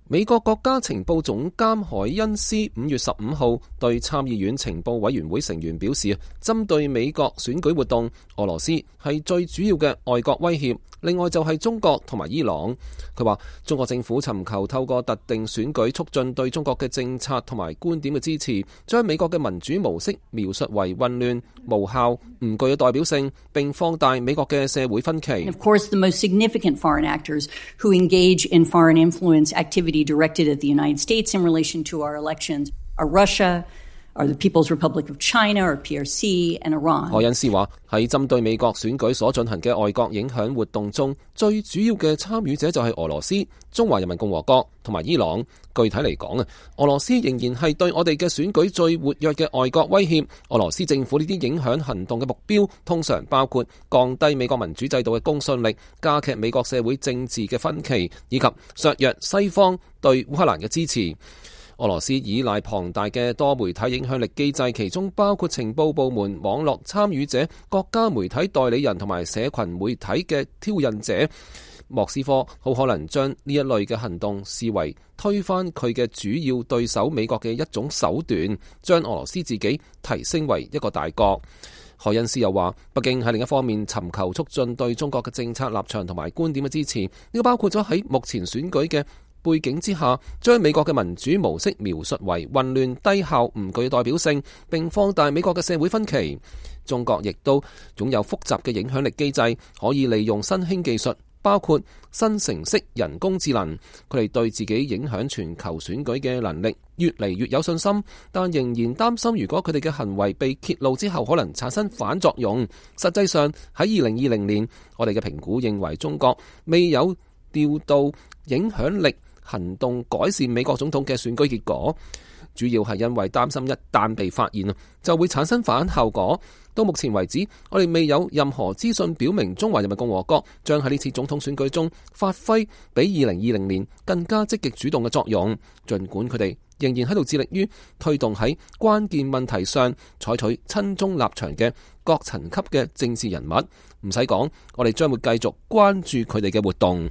美國國家情報總監海恩斯5月15號對參議院情報委員會成員表示，針對美國選舉活動，俄羅斯係最主要嘅外國威脅，另外就係中國同埋伊朗。佢話中國政府尋求透過特定選舉促進對中國嘅政策同埋觀點嘅支持，將美國嘅民主模式描述為混亂、無效、唔具有代表性，並放大美國嘅社會分歧。Of course, the most significant foreign actors who engage in foreign influence activity directed at the United States in relation to our elections are Russia, are the People's Republic of China, or PRC, and Iran. 海恩斯話喺針對美國選舉所進行嘅外國影響活動中，最主要嘅參與者就係俄羅斯、中華人民共和國同埋伊朗。具體嚟講啊，俄羅斯仍然係對我哋嘅選舉最活躍嘅外國威脅。俄羅斯政府呢啲影響行動嘅目標，通常包括降低美國民主制度嘅公信力、加劇美國社會政治嘅分歧，以及削弱西方對烏克蘭嘅支持。俄羅斯依賴龐大嘅多媒體影響力機制，其中包括情報部門、網絡參與者、國家媒體代理人同埋社群媒體嘅挑釁者。莫斯科好可能將呢一類嘅行動視為推翻佢嘅主要對手美國嘅一種手段，將俄羅斯自己提升為一個大國。海恩斯又話，北京喺另一方面尋求促進對中國嘅政策立場同埋觀點嘅支持，呢個包括咗喺目前選舉嘅背景之下，將美國嘅民主模式描述為混亂、低效、唔具代表性，並放大美國嘅社會分歧。中國亦都擁有複雜嘅影響力機制，可以利用新興技術，包括生成式人工智能。佢哋對自己影響全球選舉嘅能力越嚟越有信心，但仍然擔心如果佢哋嘅行為被揭露之後，可能產生反作用。實際上喺2020年，我哋嘅評估認為中國未有調到影響力行動改善美國總統嘅選舉結果，主要係因為擔心一旦被發現就會產生反效果。到目前為止，我哋未有任何資訊表明中華人民共和國將喺呢次總統選舉中發揮比2020年更加積極主動嘅作用，儘管佢哋仍然喺度致力於推動喺關鍵問題上採取親中立場嘅各層級嘅政治人物。唔使講，我哋將會繼續關注佢哋嘅活動。